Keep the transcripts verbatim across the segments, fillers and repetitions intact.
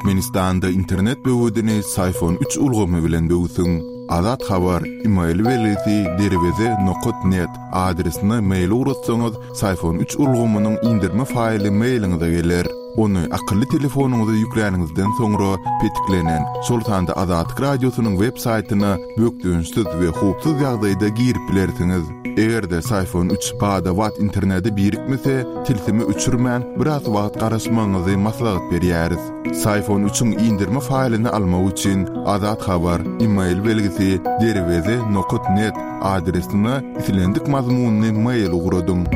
Türkmenistanda internet böwedini Syfon üç ulgamy bilen böwsüň. Azat Habar, e-mail belgisi derweze nokat net adresine mail ugratsaňyz, Syfon üç ulgamynyň indirme faýly mailiňize geler. Ony akylly telefonyňyza ýükläniňizden soňra petiklenen, şol sanda Azatlyk Radiosynyň web saýtyna bökdençsiz we howpsuz ýagdaýda girip bilersiňiz. Eger-de Syfon üç bada-bat internete birikmese, tilsimi öçürmän biraz wagt garaşmagyňyzy maslahat berýäris. Syfon üçiň indirme faýlyny almak üçin Azat Habar, e-mail belgisi derweze nokat net adresine islendik mazmunyny mail ugradyň.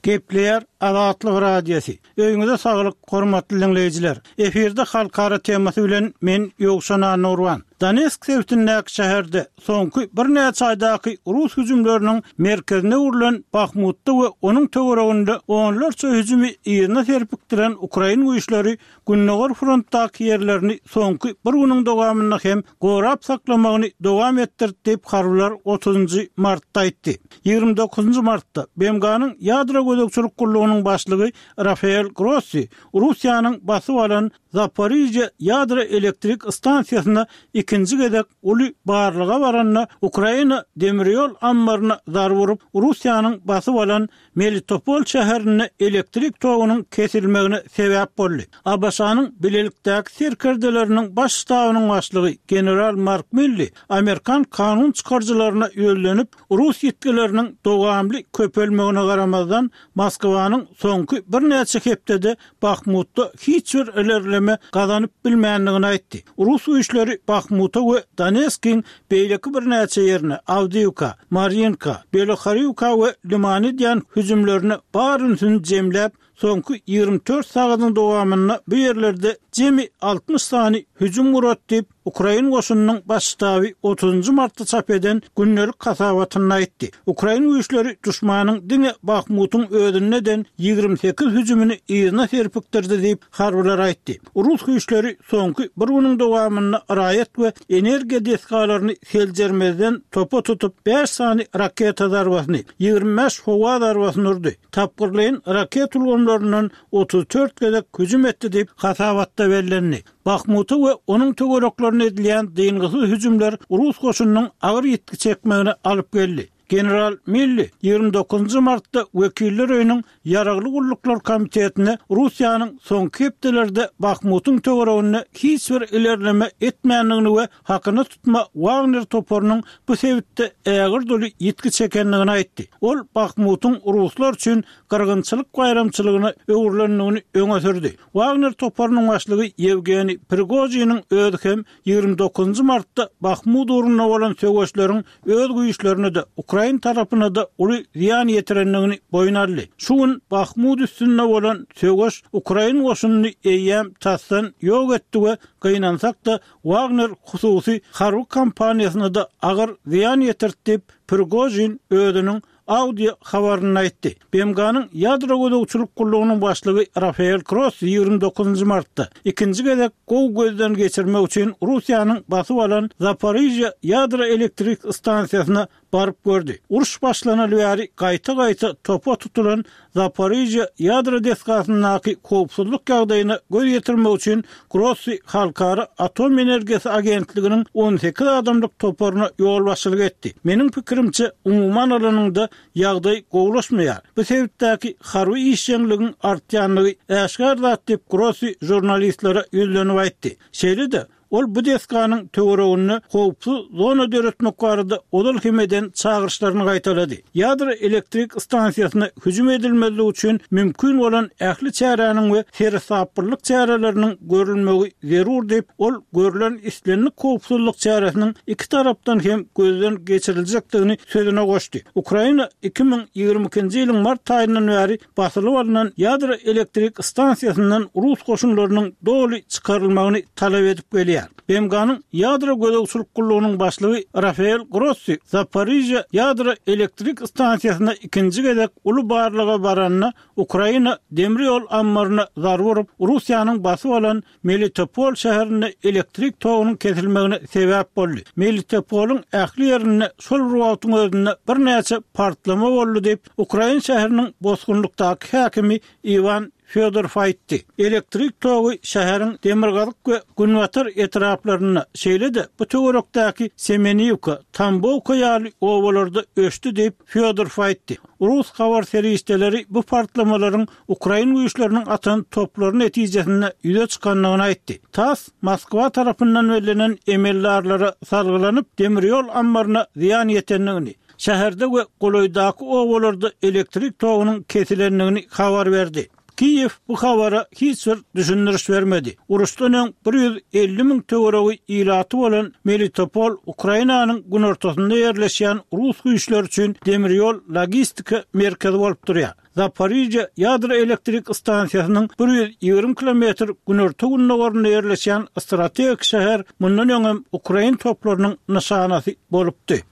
Gepleýär Azatlyk Radiosy. Öýüňize saglyk, hormatly dinleýjiler. Efirde halkara temasy bilen men Ýowşan Anurwan. Donetsk sebitindäki şäherde soňky birnäçe aýdaky rus hüjümleriniň merkezine öwrülen Bahmutda we onuň töwereginde onlarça hüjümi ýerine serpikdiren Ukrain güýçleri Gündogar frontdaky ýerlerini soňky bir günüň dowamynda hem gorap saklamagyny dowam etdirdi diýip harbylar otuzynjy martda aýtdy. Ýigrimi dokuzynjy martda B M G-nyň ýadro gözegçilik gullugynyň başlygy Rafael Grossi Russiýanyň basyp alan Zaporijýa ýadro elektrik stansiýasyna ikinji gezek uly barlyga baranda Ukraina demir ýol ammaryna zarba urup Russiýanyň basyp alan Melitopol şäherinde elektrik togunyň kesilmegine sebäp boldy. A B Ş-nyň bilelikdäki serkerdeleriniň baş ştabynyň başlygy General Mark Milli Amerikan kanun çykaryjylaryna ýönlenip Rus ýetkileriniň dowamly köpelmegine garamazdan Moskwanyň soňky birnäçe hepdede Bahmutda hiç bir ilerleme gazanyp bilmändigini aýtdy. Rus güýçleri Bahmuta we Donetskiň beýleki birnäçe ýerine Awdiýewka, Marinka, Beloharýewka we Limany diýen hüjümlerini baryny jemläp soňky ýigrimi dört sagatyň dowamynda bu ýerlerde jemi altmyş sany hüjüm gurat diýip Ukrain goşunynyň baş ştaby otuzynjy martda çap eden gündelik hasabatynda aýtdy. Ukrain güýçleri düşmanyň diňe Bahmutyň özünden ýigrimi sekiz hüjümini ýerine serpikdirdi diýip harbylar aýtdy. Rus güýçleri soňky bir günüň dowamynda raýat we energiýa desgalaryny seljermezden topa tutup bäş sany raketa zarbasyny, ýigrimi bäş howa zarbasyny urdy. Tapgyrlaýyn raket ulgamlaryndan otuz dört gezek hüjüm etdi diýip hasabatda bellendi. Bahmuta we onuň töwereklerine edilýän dyngysyz hüjümler Rus goşunynyň agyr ýitgi çekmegine alyp geldi. General Milli ýigrimi dokuzynjy martda Wekiller öýüniň Ýaragly gulluklar komitetine Russiýanyň soňky hepdelerde Bahmutyň töwereginde hiç bir ilerleme etmändigini we hakyna tutma Wagner toparynyň bu sebitde ägir dolu ýitgi çekendigini aýtdy. Ol Bahmutyň ruslar üçin gyrgynçylyk baýramçylygyna öwrülendigini öňe sürdi. Wagner toparynyň başlygy Ýewgeniý Prigojiniň özi hem ýigrimi dokuzynjy martda Bahmut ugrunda bolan söweşleriň öz güýçlerine de Ukrain tarapyna da uly zyýan ýetirendigini boýun aldy. Şu gün Bahmut üstünde bolan söweş Ukrain goşunyny eýýäm tasdan ýok etdi we gynansak da Wagner hususy harby kompaniýasyna da agyr zyýan ýetirdi diýip Prigojin özüniň audio habaryny aýtdy. B M G-nyň ýadro gözegçilik gullugynyň başlygy Rafael Grossi ýigrimi dokuzynjy martda ikinji gezek gowy gözden geçirmek üçin Russiýanyň basyp alan Zaporijýa ýadro elektrik stansiýasyna baryp gördi. Uruş başlanaly bäri gaýta-gaýta topa tutulan Zaporijýa ýadro desgasyndaky howpsuzlyk ýagdaýyna göz ýetirmek üçin Grossi Halkara Atom Energiýasy Agentliginiň on sekiz adamlyk toparyna ýolbaşçylyk etdi. Meniň pikirimçe umuman alanynda ýagdaý gowulaşmaýar. Bu sebitdäki harby işjeňligiň artýanlygy äşgär zat diýip Grossi žurnalistlere ýüzlenip aýtdy. Şeýle-de ol bu desganyň töwereginde howpsuz zona döretmek barada ozal hem eden çagyryşlaryny gaýtalady. Ýadro elektrik stansiýasyna hüjüm edilmezligi üçin mümkin bolan ähli çäräniň we seresaplylyk çäreleriniň görülmegi zerur diýip ol görülen islendik howpsuzlyk çäresiniň iki tarapdan hem gözden geçiriljekdigini sözüne goşdy. Ukraina iki müň ýigrimi ikinji ýylyň mart aýyndan bäri basylyp alynan ýadro elektrik stansiýasyndan rus goşunlarynyň doly çykarylmagyny talap edip gelýär. edilýär. B M G-nyň ýadro gözegçilik gullugynyň başlygy Rafael Grossi Zaporižýa ýadro elektrik stansiýasyna ikinji gezek uly barlaga baranda Ukraina demir ýol ammaryna zarba urup, Russiýanyň basyp alan Melitopol şäherinde elektrik togunyň kesilmegine sebäp boldy. Melitopolyň ähli ýerinde şol bir wagtyň özünde birnäçe partlama boldy diýip, Ukraina şäheriniň bosgunlykdaky häkimi Iwan Fyodorov aýtdy. Elektrik togy şäheriň Demirgazyk we Günbatar etraplarynda, şeýle-de bu töwerekdäki Semeniwka, Tambowka ýaly obalarda öçdi diýip, Fyodorov aýtdy. Rus habar serişdeleri bu partlamalaryň Ukrain güýçleriniň atan toplary netijesinde ýüze çykandygyny aýtdy. TASS Moskwa tarapyndan bellenen emeldarlara salgylanyp demir ýol ammaryna zyýan ýetendigini, şäherde we golaýdaky obalarda elektrik togunyň kesilendigini habar berdi. Kiýew bu habara hiç bir düşündiriş bermedi. Uruşdan öň bir ýüz elli müň töweregi ilaty bolan Melitopol Ukrainanyň günortasynda ýerleşýän Rus güýçleri üçin demir ýol logistika merkezi bolup durýar. Zaporižýa ýadro elektrik stansiýasynyň bir ýüz ýigrimi kilometr günorta gündogarynda ýerleşýän strategik şäher mundan öň Ukrain toplarynyň nyşanasy bolupdy.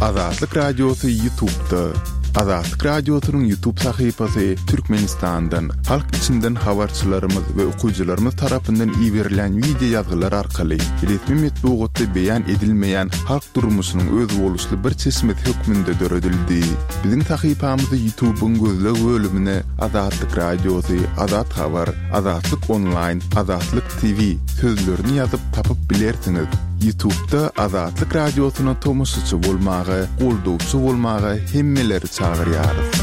Azatlyk Radiosy YouTube'da. Azatlyk Radiosynyň YouTube sahypasy Türkmenistandan, halk içinden habarçylarymyz we okyjylarymyz tarapyndan iberilen wideo ýazgylar arkaly resmi metbugatda beýan edilmeýän halk durmuşynyň özboluşly bir çeşmesi hökmünde döredildi. Biziň sahypamyzy YouTube'yň gözleg bölümine Azatlyk Radiosy, Azat Habar, Azatlyk Online, Azatlyk T V sözlerini ýazyp tapyp bilersiňiz. YouTube'da Azatlyk Radiosyna tomaşaçy bolmaga, goldawçy bolmaga hemmeleri çagyrýarys.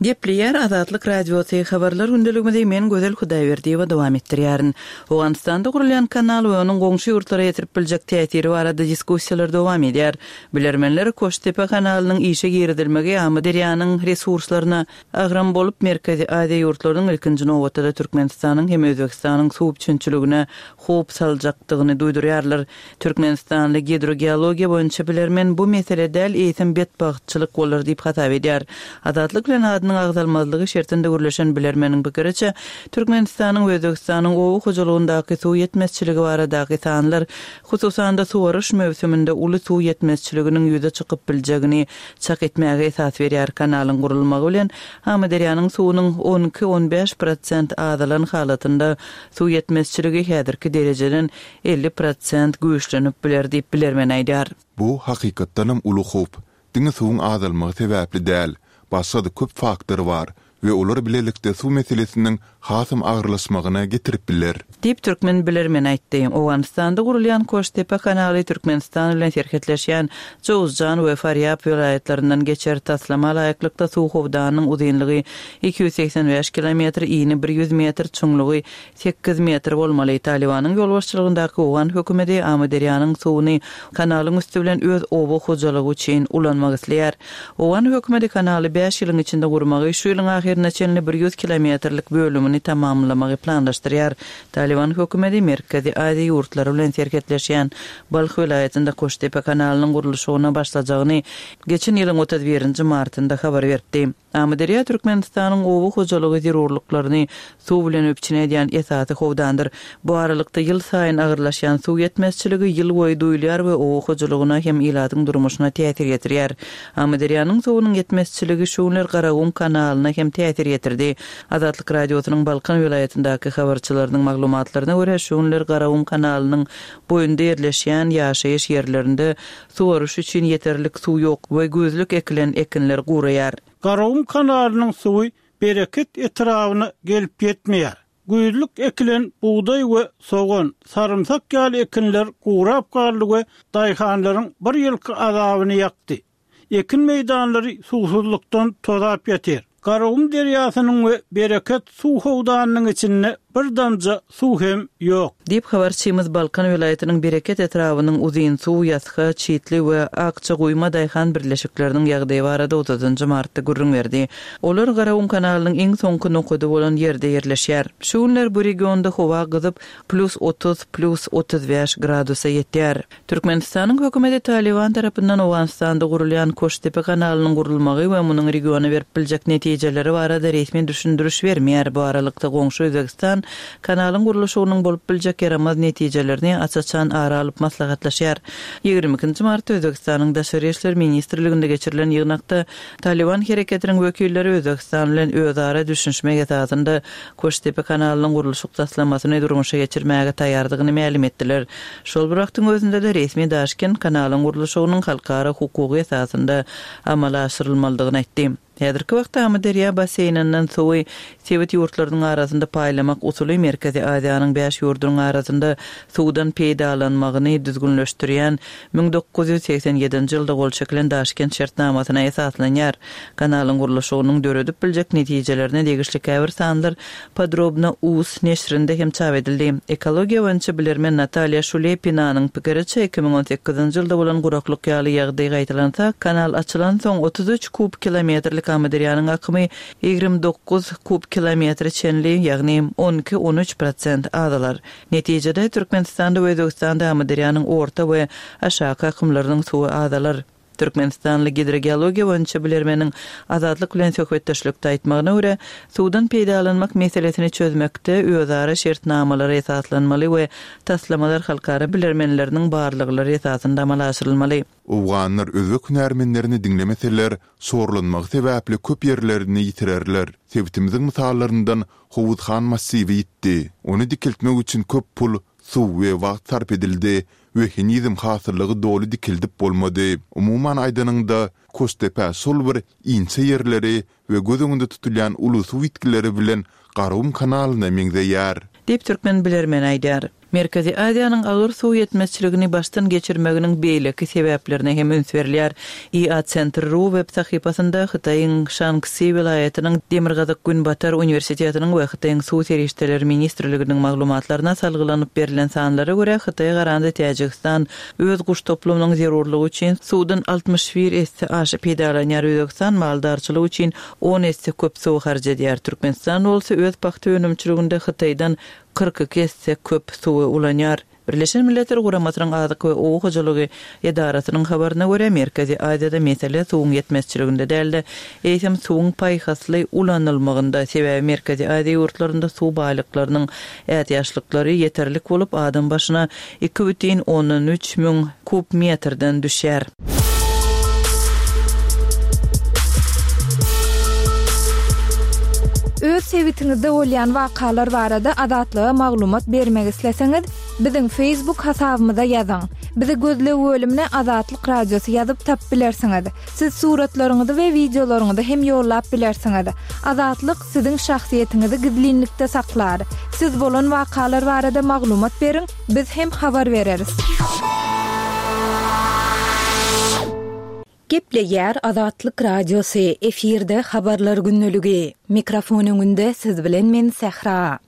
Gepleýär Azatlyk Radiosy, habarlar gündeligimizi men Gözel Hudaýberdiýewa dowam etdirýärin. Owganystanda gurulýan kanal we onuň goňşy ýurtlara ýetirip biljek täsiri barada diskussiýalar dowam edýär. Bilermenler Koştepe kanalynyň işe girizilmegi Amyderýanyň resurslaryna agram bolup Merkezi Aziýa ýurtlarynyň, ilkinji nobatda Türkmenistanyň hem Özbekistanyň suw üpjünçiligine howp saljakdygyny duýdurýarlar. Türkmenistanly gidrogeologiýa boýunça bilermen bu mesele däl, eýsem betbagtçylyk bolar diýip hasap edýär. Azatlyk bilen adynyň agzalmazlygy şertinde gürleşen bilermeniň pikiriçe, Türkmenistanyň we Özbekistanyň oba hojalygyndaky suw ýetmezçiligi baradaky sanlar, hususan-da suwaryş möwsüminde uly suw ýetmezçiliginiň ýüze çykyp biljegini çak etmäge esas berýär. Kanalyň gurulmagy bilen Amyderýanyň suwunyň on iki-on bäş prosent azalan halatynda suw ýetmezçiligi häzirki derejeden elli prosent güýçlenip biler diýip bilermen aýdar. Bu hakykatdanam uly howp. Diňe suwuň azalmagy sebäpli däl, başga-da köp faktor bar we olar bilelikde suw meselesiniň hasam agyrlaşmagyna getirip biler. Diýip türkmen bilermen aýtdy. Owganystanda gurulýan Koştepe kanaly Türkmenistan bilen serhetleşýän Jowzjan we Farýab welaýatlaryndan geçer. Taslama laýyklykda suw howdanynyň uzynlygy iki ýüz segsen bäş kilometr, ini ýüz metr, çuňlugy sekiz metr bolmaly. Talibanyň ýolbaşçylygyndaky Owgan hökümeti Amyderýanyň suwuny kanalyň üsti bilen öz oba hojalygy üçin ulanmak isleýär. Owgan hökümeti kanaly bäş ýylyň içinde gurmagy, şu ýylyň ahyryna çenli ýüz kilometrlik bölümini tamamlamagy planlaşdyrýar. Taliban hökümeti Merkezi Aziýa ýurtlary bilen serhetleşýän Balh welaýatynda Koştepe kanalynyň gurluşygyna başlajagyny geçen ýylyň otuz birinji martynda habar berdi. Amyderýa Türkmenistanyň oba hojalygy zerurlyklaryny suw bilen üpjün edýän esasy howdandyr. Bu aralykda ýyl saýyn agyrlaşýan suw ýetmezçiligi ýyl boýy duýulýar we oba hojalygyna hem ilatyň durmuşyna täsir ýetirýär. Amyderýanyň suwunyň ýetmezçiligi şu günler Garagum kanalyna hem täsir ýetirdi. Azatlyk Radiosynyň Balkan welaýatyndaky habarçylarynyň maglumatlaryna görä, şu günler Garagum kanalynyň boýunda ýerleşýän ýaşaýyş ýerlerinde suwaryş üçin ýeterlik suw ýok we güýzlük ekilen ekinler guraýar. Garagum kanalynyň suwy Bereket etrabyna gelip ýetmeýär. Güýzlük ekilen bugdaý we sogan, sarymsak ýaly ekinler gurap galdy we daýhanlaryň bir ýylky azabyny ýakdy. Ekin meýdanlary suwsuzlykdan tozap ýatyr. Garagum derýasynyň we Bereket suw howdanynyň içinde Bir damja suw hem ýok. Diýip habarçymyz Balkan welaýatynyň Bereket etrabynyň uzyn suw ýasga, Çitli we Akça guýma daýhan birleşikleriniň ýagdaýy barada otuzynjy martda gürrüň berdi. Olar Garagum kanalynyň iň soňky nokady bolan ýerde ýerleşýär. Şu günler bu regionda howa gyzyp plus otuz, plus otuz bäş gradusa ýetýär. Türkmenistanyň hökümeti Taliban tarapyndan Owganystanda gurulýan Koştepe kanalynyň gurulmagy we munuň regiona berip biljek netijeleri barada resmi düşündiriş bermeýär. Bu aralykda goňşy Özbegistan kanalyň gurluşygynyň bolup biljek ýaramaz netijelerini aç-açan ara alyp maslahatlaşýar. Ýigrimi ikinji martda Özbegistanyň Daşary işler ministrliginde geçirilen ýygnakda Taliban hereketiniň wekilleri Özbegistan bilen özara düşünişmek esasynda Koştepe kanalynyň gurluşyk taslamasyny durmuşa geçirmäge taýýardygyny mälim etdiler. Şol bir wagtyň özünde de resmi Daşkent kanalyň gurluşygynyň halkara hukugy esasynda amala aşyrylmalydygyny aýtdy. Häzirki wagtda Amyderýa basseýninden suwy sebit ýurtlarynyň arasynda paýlamak usuly Merkezi Aziýanyň bäş ýurdunyň arasynda suwdan peýdalanmagyny düzgünleşdirýän müň dokuz ýüz segsen ýedinji ýylda gol çekilen Daşkent şertnamasyna esaslanýar. Kanalyň gurluşygynyň döredip biljek netijelerine degişli käbir sanlar Podrobno uz neşrinde hem çap edildi. Ekologiýa boýunça bilermen Natalýa Şulepinanyň pikiriçe iki müň on sekizinji ýylda bolan guraklyk ýaly ýagdaý gaýtalansa, kanal açylan soň otuz üç kub kilometrlik Amyderýanyň akymy ýigrimi dokuz kub kilometre çenli, ýagny on iki on üç prosent azalar. Netijede Türkmenistanda we Özbegistanda Amyderýanyň orta we aşaky akymlarynyň suwy azalar. Türkmenistanly gidrogeologiýa boýunça bilermeniň Azatlyk bilen söhbetdeşlikde aýtmagyna görä, suwdan peýdalanmak meselesini çözmekde özara şertnamalara esaslanmaly we taslamalar halkara bilermenleriniň barlyklary esasynda amala aşyrylmaly. Owganlar özbek hünärmenlerini diňlemeseler, şorlanmagy sebäpli köp ýerlerini ýitirerler. Sebitimiziň mysallaryndan Howuzhan massiwi ýitdi. Ony dikiltmek üçin köp pul, suw we wagt sarp edildi we henizem hasyllygy doly dikildip bolmady. Umuman aýdanyňda, Koştepe şol bir inçe ýerleri we göz öňünde tutulýan uly suw ýitgileri bilen Garagum kanalyna meňzeýär. Diýip türkmen bilermen aýdar. Merkezi Aziýanyň agyr suw ýetmezçiligini başdan geçirmeginiň beýleki sebäplerine hem üns berilýär. I A Center ru web sahypasynda Hytaýyň Şanksi welaýatynyň Demirgazyk Günbatar uniwersitetiniň we Hytaýyň suw serişdeleri ministrliginiň maglumatlaryna salgylanyp berlen sanlara görä Hytaý garanda Täjigistan öz guş toplumynyň zerurlygy üçin suwdan altmyş bir esse aşa peýdalanýar. Özbegistan maldarçylyk üçin on esse köp suw harç edýär. Türkmenistan bolsa öz pagta önümçiliginde Hytaýdan kyrk iki esse köp suwy ulanýar. Birleşen Milletler Guramasynyň Azyk we Oba hojalygy edarasynyň habaryna görä Merkezi Aziýada mesele suwuň ýetmezçiliginde däldi. Eýsem suwuň paýhasly ulanylmagynda, sebäbi Merkezi Aziýa ýurtlarynda suw baýlyklarynyň ätiýaçlyklary ýeterlik bolup, adam başyna iki bütin ondan üç müň kub metrden düşýär. Öz sebitiňizde bolýan wakalar barada Azatlyga maglumat bermek isleseňiz, biziň Facebook hasabymyza ýazyň. Bizi gözleg bölümine Azatlyk Radiosy ýazyp tap bilersiňiz. Siz suratlaryňyzy we wideolaryňyzy hem ýollap bilersiňiz. Azatlyk siziň şahsyýetiňizi gizlinlikde saklar. Siz bolan wakalar barada maglumat beriň, biz hem habar bereris. Gepleýär Azatlyk Radiosy, efirde habarlar günlügi. Mikrofon öňünde siz bilen men Sähra.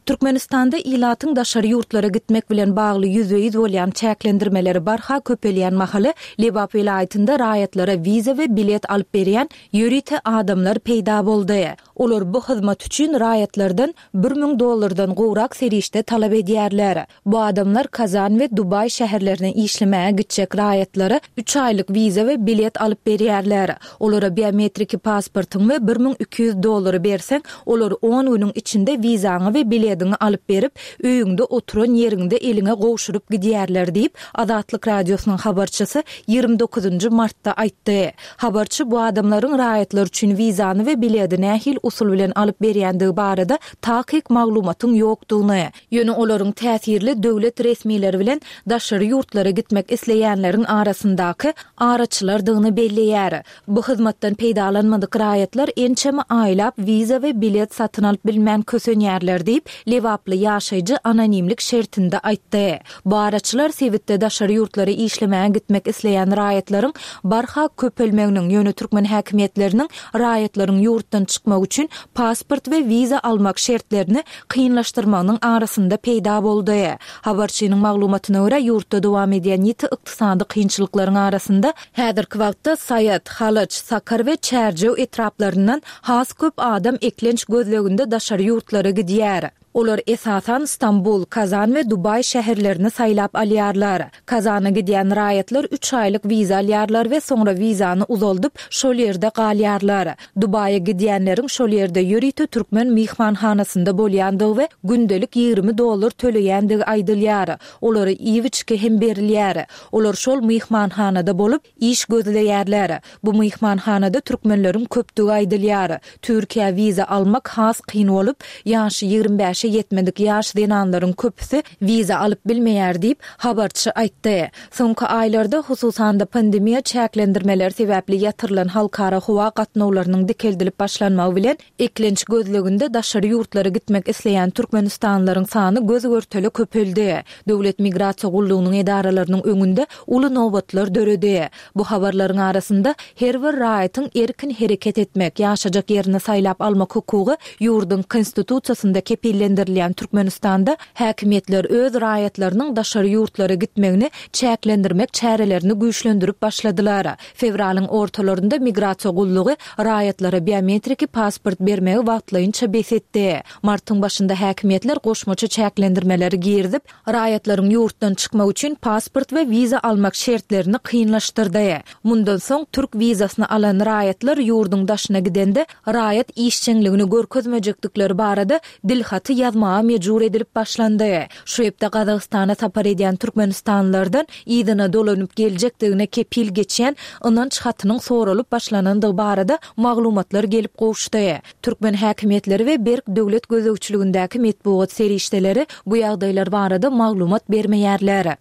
Türkmenistanda ilatyň daşary ýurtlara gitmek bilen bagly ýüzbe-ýüz bolýan çäklendirmeleri barha köpelýän mahaly Lebap welaýatynda raýatlara wiza we bilet alyp berýän ýörite adamlar peýda boldy. Olar bu hyzmat üçin raýatlardan bir müň dollardan gowrak serişde talap edýärler. Bu adamlar Kazan we Dubaý şäherlerine işlemäge gitjek raýatlara üç aýlyk wiza we bilet alyp berýärler. Olara biometriki pasportyň we bir müň iki ýüz dollary berseň, olar on günüň içinde wizaňy we biletiňi alyp berip, öýüňde oturan ýeriňde eliňe gowşuryp gidýärler diýip, Azatlyk Radiosynyň habarçysy ýigrimi dokuzynjy martda aýtdy. Habarçy bu adamlaryň raýatlar üçin wizany we bileti nähil usul bilen alyp berýändigi barada takyk maglumatyň ýokdugyny, ýöne olaryň täsirli döwlet resmileri bilen daşary ýurtlara gitmek isleýänleriň arasyndaky araçylardygyny belleýär. Bu hyzmatdan peýdalanmadyk raýatlar ençeme aýlap wiza we bilet satyn alyp bilmän kösenýärler diýip, lebaply ýaşaýjy anonimlik şertinde aýtdy. Bu araçylar sebitde daşary ýurtlara işlemäge gitmek isleýän raýatlaryň barha köpelmeginiň, ýöne türkmen häkimiýetleriniň raýatlaryň ýurtdan çykmagy üçin pasport we wiza almak şertlerini kynlaşdyrmagynyň arasynda peýda boldy. Habarçynyň maglumatyna görä, ýurtda dowam edýän ýiti ykdysady kynçylyklaryň arasynda häzirki wagtda Saýat, Halaç, Sakar we Çärjew etraplaryndan has köp adam eklenç gözleginde daşary ýurtlara gidýär. Olar esasan Stambul, Kazan we Dubaý şäherlerini saýlap alýarlar. Kazana gidýän raýatlar üç aýlyk wiza alýarlar we soňra wizany uzaldyp, şol ýerde galýarlar. Dubaýa gidýänleriň şol ýerde ýörite türkmen myhmanhanasynda bolýandygy we gündelik ýigrimi dollar töleýändigi aýdylýar. Olara iýip-içgi hem berilýär. Olar şol myhmanhanada bolup, iş gözleýärler. Bu myhmanhanada türkmenleriň köpdügi aýdylýar. Türkiýä wiza almak has kyn bolup, ýaşy ýigrimi bäşe ýetmedik ýaş zenanlaryň köpüsi wiza alyp bilmeýär diýip, habarçy aýtdy. Soňky aýlarda, hususan-da pandemiýa çäklendirmeleri sebäpli ýatyrylan halkara howa gatnawlarynyň dikeldilip başlanmagy bilen, eklenç gözleginde daşary ýurtlara gitmek isleýän türkmenistanlylaryň sany göz-görtele köpeldi. Döwlet migrasiýa gullugynyň edaralarynyň öňünde uly nobatlar döredi. Bu habarlaryň arasynda her bir raýatyň erkin hereket etmek, ýaşajak ýerini saýlap almak hukugy ýurduň Konstitusiýasynda kepillendirilýän Türkmenistanda häkimiýetler öz raýatlarynyň daşary ýurtlara gitmegini çäklendirmek çärelerini güýçlendirip başladylar. Fewralyň ortalarynda migrasiýa gullugy raýatlara biometriki pasport bermegi wagtlaýynça bes etdi. Martyň başynda häkimiýetler goşmaça çäklendirmeleri girizip, raýatlaryň ýurtdan çykmak üçin pasport we wiza almak şertlerini kynlaşdyrdy. Mundan soň türk wizasyny alan raýatlar ýurduň daşyna gidende raýat işjeňligini görkezmejekdikleri barada dilhaty ýazmaga mejbur edilip başlandy. Şu hepde Gazagystana sapar edýän türkmenistanlylardan yzyna dolanyp geljekdigine kepil geçýän ynanç hatynyň soralyp başlanandygy barada maglumatlar gelip gowuşdy. Türkmen häkimiýetleri we berk döwlet gözegçiligindäki metbugat serişdeleri bu ýagdaýlar barada maglumat bermeýärler.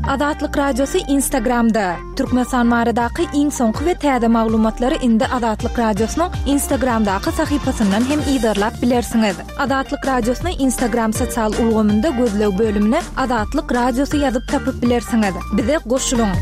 Azatlyk Radiosy Instagramda. Türkmenistan baradaky iň soňky we täze maglumatlary indi Azatlyk Radiosynyň Instagramdaky sahypasyndan hem yzarlap bilersiňiz. Azatlyk Radiosyny Instagram sosial ulgamynda gözleg bölümine Azatlyk Radiosy ýazyp tapyp bilersiňiz. Bize goşulyň!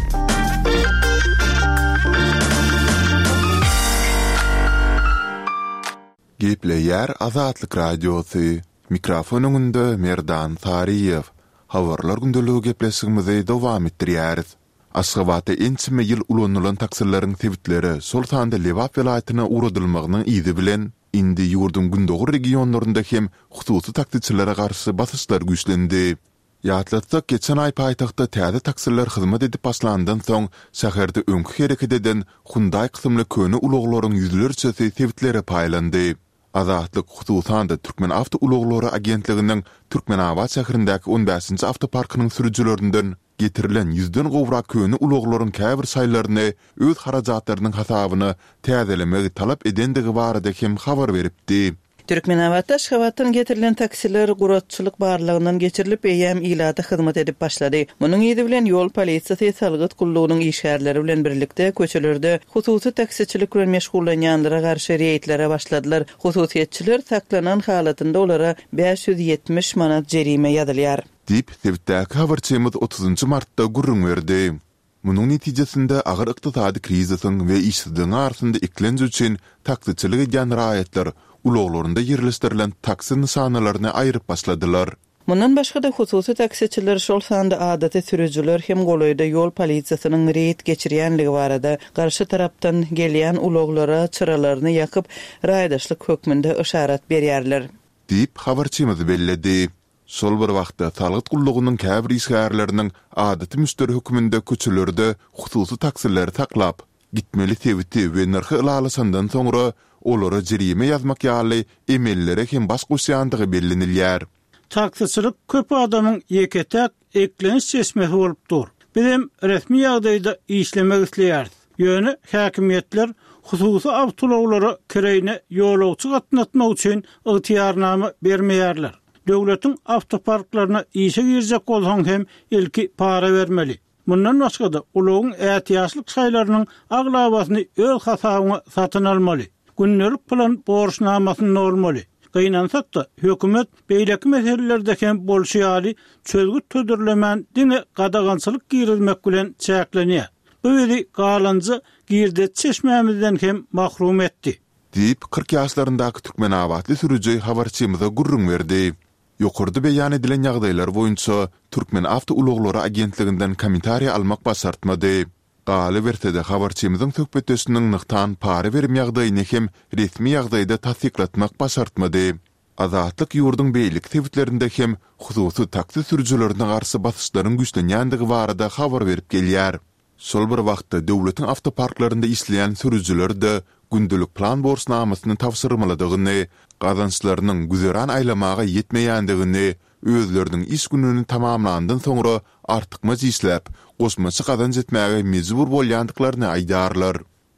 Gepleýär Azatlyk Radiosy. Mikrofon öňünde Merdan Saryýew. Habarlar gündeligi gepleşigimizi dowam etdirýäris. Aşgabatda ençeme ýyl ulanylan taksileriň sebitlere, şol sanda Lebap welaýatyna ugradylmagynyň yzy bilen, indi ýurduň gündogar regionlarynda hem hususy taksiçilere garşy basyşlar güýçlendi. Ýatlatsak, geçen aý paýtagtda täze taksiler hyzmat edip başlandan soň, şäherde öňki hereket eden Hyundai kysymly köne ulaglaryň ýüzlerçesi sebitlere paýlandy. Azatlyk, hususan-da, Türkmenawtoulaglary agentliginiň Türkmenabat şäherindäki on bäşinji awtoparkynyň sürüjilerinden getirilen ýüzden gowrak köne ulaglaryň käbir şaýlaryny öz harajatlarynyň hasabyna täzelemegi talap edendigi barada hem habar beripdi. Türkmenabatda Aşgabatdan getirilen taksiler guratçylyk barlagyndan geçirilip, eýýäm ilata hyzmat edip başlady. Munuň yzy bilen ýol polisiýasy salgyt gullugynyň işgärleri bilen birlikde köçelerde hususy taksiçilik bilen meşgullanýanlara garşy reýdlere başladylar. Hususyýetçiler saklanan halatynda olara bäş ýüz ýetmiş manat jerime ýazylýar. Diýip, sebitdäki habarçymyz otuzynjy martda gürrüň berdi. Munuň netijesinde agyr ykdysady krizisiň we işsizligiň arasynda eklenç üçin taksiçilik edýän raýatlar ulaglarynda ýerleşdirilen taksi nyşanalaryny aýryp başladylar. Mundan başga-da, hususy taksiçiler, şol sanda adaty sürüjiler hem golaýda ýol polisiýasynyň reýd geçirýänligi barada garşy tarapdan gelýän ulaglara çyralaryny ýakyp, raýdaşlyk hökmünde yşarat berýärler. Diýip, habarçymyz belledi. Şol bir wagtda, salgyt gullugynyň käbir işgärleriniň adaty müşderi hökmünde köçelerde hususy taksileri saklap, gitmeli sebiti we nyrhy ylalaşandan soňra, olara jerime ýazmak ýaly emellere hem baş goşýandygy bellenilýär. Taksiçilik köp adamyň ýeke-täk eklenç çeşmesi bolup dur. Bizem resmi ýagdaýda işlemek isleýäris. Ýöne häkimiýetler hususy awtoulaglara kireýine ýolagçy gatnatmak üçin ygtyýarnama bermeýärler. Döwletiň awtoparklaryna işe girjek bolsaň hem ilki para bermeli. Mundan başga-da, ulagyň ätiýaçlyk şaýlarynyň aglabasyny öz hasabyňa satyn almaly. gündelik plan borçnamasyny dolmaly. Gynansak-da, hökümet beýleki meselelerde hem bolşy ýaly çözgüt hödürlemän diňe gadagançylyk girizmek bilen çäklenýär. Bu bizi galanja girdeji çeşmämizden hem mahrum etdi. Diýip, kyrk ýaşlaryndaky türkmenabatly sürüji habarçymyza gürrüň berdi. Ýokarda beýan edilen ýagdaýlar boýunça Türkmenawtoulaglary agentliginden kommentariý almak başartmady. Galyberse-de, habarçymyzyň söhbetdeşiniň nygtan para berim ýagdaýyny hem resmi ýagdaýda tassyklatmak başartmady. Azatlyk ýurduň beýleki sebitlerinde hem hususy taksi sürüjilerine garşy basyşlaryň güýçlenýändigi barada habar berip gelýär. Şol bir wagtda, döwletiň awtoparklarynda işleýän sürüjiler-de gündelik plan borçnamasyny tabşyrmalydygyny, gazançlarynyň güzeran aýlamaga ýetmeýändigini, özleriniň iş gününi tamamlandan soňra artykmaç işläp, goşmaça gazanç etmäge mejbur bolýandyklaryny aýdýarlar.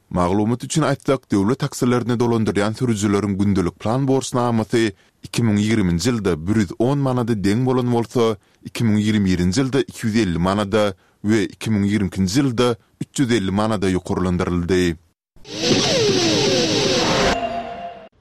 Maglumat üçin aýtsak, döwlet taksilerini dolandyrýan sürüjileriň gündelik plan borçnamasy iki müň ýigriminji ýylda bir ýüz on manada deň bolan bolsa, iki müň ýigrimi birinji ýylda iki ýüz elli manada we iki müň ýigrimi ikinji ýylda üç ýüz elli manada ýokarlandyryldy.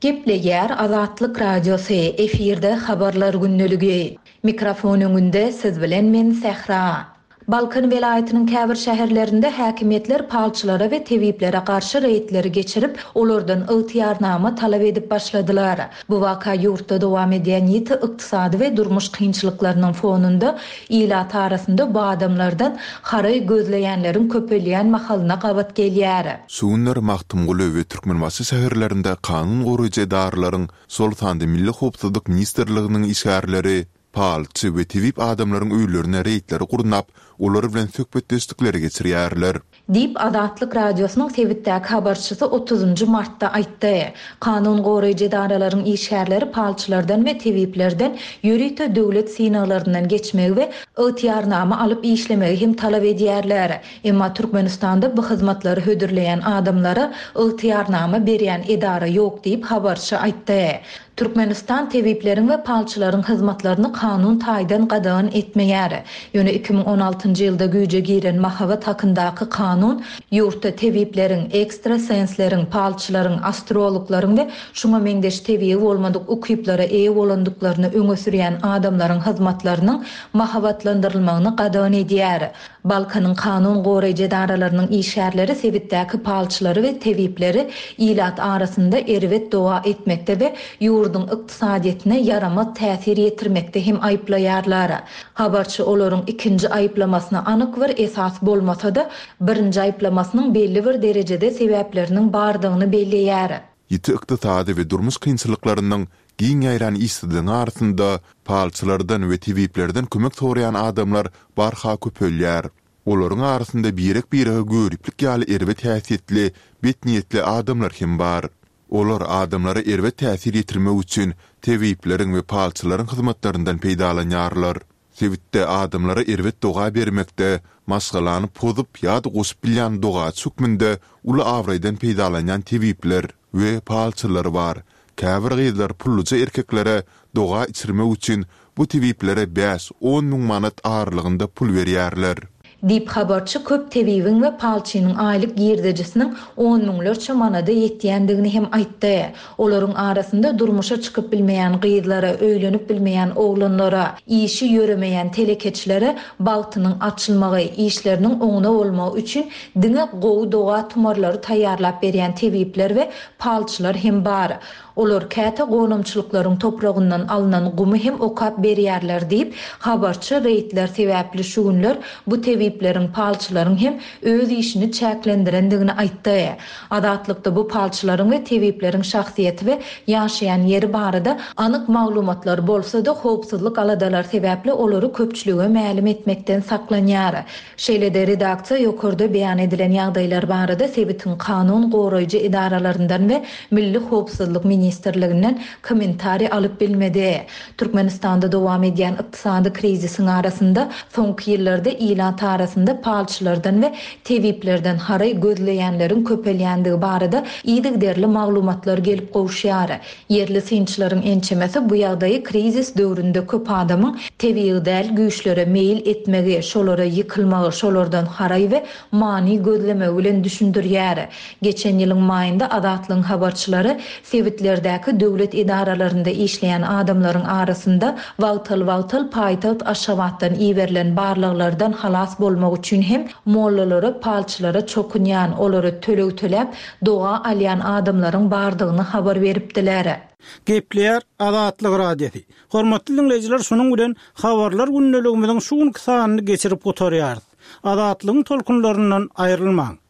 Gepleýär Azatlyk Radiosy, efirde Habarlar gündeligi. Mikrofon öňünde siz bilen men Sähra. Balkan welaýatynyň käbir şäherlerinde häkimiýetler palçylara we tebiplere garşy reýdleri geçirip, olardan ygtyýarnama talap edip başladylar. Bu waka ýurtda dowam edýän ýiti ykdysady we durmuş kynçylyklarynyň fonunda ilat arasynda bu adamlardan haraý gözleýänleriň köpelýän mahalyna gabat gelýär. Şu günler Magtymguly we Türkmenbaşy şäherlerinde kanun goraýjy edaralaryň, şol sanda Milli howpsuzlyk ministrliginiň işgärleri palçy we tebip adamlaryň öýlerine reýdleri gurnap, olar bilen söhbetdeşlikleri geçirýärler. Diýip, Azatlyk Radiosynyň sebitdäki habarçysy otuzynjy martda aýtdy. Kanun goraýjy edaralaryň işgärleri palçylardan we tebiplerden ýörite döwlet synaglaryndan geçmegi we ygtyýarnama alyp işlemegi hem talap edýärler. Emma Türkmenistanda bu hyzmatlary hödürleýän adamlara ygtyýarnama berýän edara ýok diýip, habarçy aýtdy. Türkmenistan tebipleriň we palçylaryň hyzmatlaryny kanun taýdan gadagan etmeýär. Ýöne iki müň on altynjy ýylda güýje giren mahabat hakyndaky kanun ýurtda tebipleriň, ekstrasensleriň, palçylaryň, astrologlaryň we şuňa meňzeş tebigy bolmadyk ukyplara eýe bolandyklaryny öňe sürýän adamlaryň hyzmatlarynyň mahabatlandyrylmagyny gadagan edýär. Balkanyň kanun goraýjy edaralarynyň işgärleri sebitdäki palçylary we tebipleri ilat arasynda erbet doga etmekde we ýurduň ykdysadyýetine ýaramaz täsir ýetirmekde hem aýyplaýarlar. Habarçy olaryň ikinji aýyplamasyna anyk bir esas bolmasa-da, birinji aýyplamasynyň belli bir derejede sebäpleriniň bardygyny belleýär. Ýiti ykdysady we durmuş kynçylyklarynyň giň ýaýran işsizligiň arasynda palçylardan we tebiplerden kömek soraýan adamlar barha köpelýär. Olaryň arasynda birek-birege göriplik ýaly erbet häsiýetli, bet niýetli adamlar hem bar. Olar adamlara erbet täsir ýetirmek üçin tebipleriň we palçylaryň hyzmatlaryndan peýdalanýarlar. Sebitde adamlara erbet doga bermekde, maşgalany pozup ýa-da goşup bilýän dogaçy hökmünde uly abraýdan peýdalanýan tebipler we palçylar bar. Käbir gyzlar pulluja erkeklere doga içirmek üçin bu tebiplere bäş-on müň manat aralygynda pul berýärler. Diýip, habarçy köp tebibiň we palçynyň aýlyk girdejisiniň on müňlerçe manada ýetýändigini hem aýtdy. Olaryň arasynda durmuşa çykyp bilmeýän gyzlara, öýlenip bilmeýän oglanlara, işi ýöremeýän telekeçilere bagtynyň açylmagy, işleriniň oňuna bolmagy üçin diňe gowy doga tumarlary taýýarlap berýän tebipler we palçylar hem bar. Olar käte gonamçylyklaryň topragyndan alnan gumy hem okap berýärler diýip, habarçy reýdler sebäpli şu günler bu tebipleriň, palçylaryň hem öz işini çäklendirendigini aýtdy. Azatlykda bu palçylaryň we tebipleriň şahsyýeti we ýaşaýan ýeri barada anyk maglumatlar bolsa-da, howpsuzlyk aladalary sebäpli olary köpçülige mälim etmekden saklanýar. Şeýle-de redaksiýa ýokarda beýan edilen ýagdaýlar barada sebitiň kanun goraýjy edaralaryndan we Milli howpsuzlyk ministrliginden kommentariý alyp bilmedi. Türkmenistanda dowam edýän ykdysady krizisiň arasynda soňky ýyllarda ilat arasynda palçylardan we tebiplerden haraý gözleýänleriň köpelýändigi barada yzygiderli maglumatlar gelip gowuşýar. Ýerli synçylaryň ençemesi bu ýagdaýy krizis döwründe köp adamyň tebigy däl güýçlere meýil etmegi, şolara ýykylmagy, şolardan haraý we many gözlemegi bilen düşündirýär. Geçen ýylyň maýynda Azatlygyň habarçylary sebitlerdäki döwlet edaralarynda işleýän adamlaryň arasynda wagtal-wagtal paýtagt Aşgabatdan iberilen barlaglardan halas bolmak üçin hem mollalara, palçylara çokunýan, olara töleg töläp, doga alýan adamlaryň bardygyny habar beripdiler. Gepleýär Azatlyk Radiosy. Hormatly diňleýjiler, şunuň bilen Habarlar gündeligimiziň şu günki sanyny geçirip gutarýarys. Azatlygyň tolkunlaryndan aýrylmaň.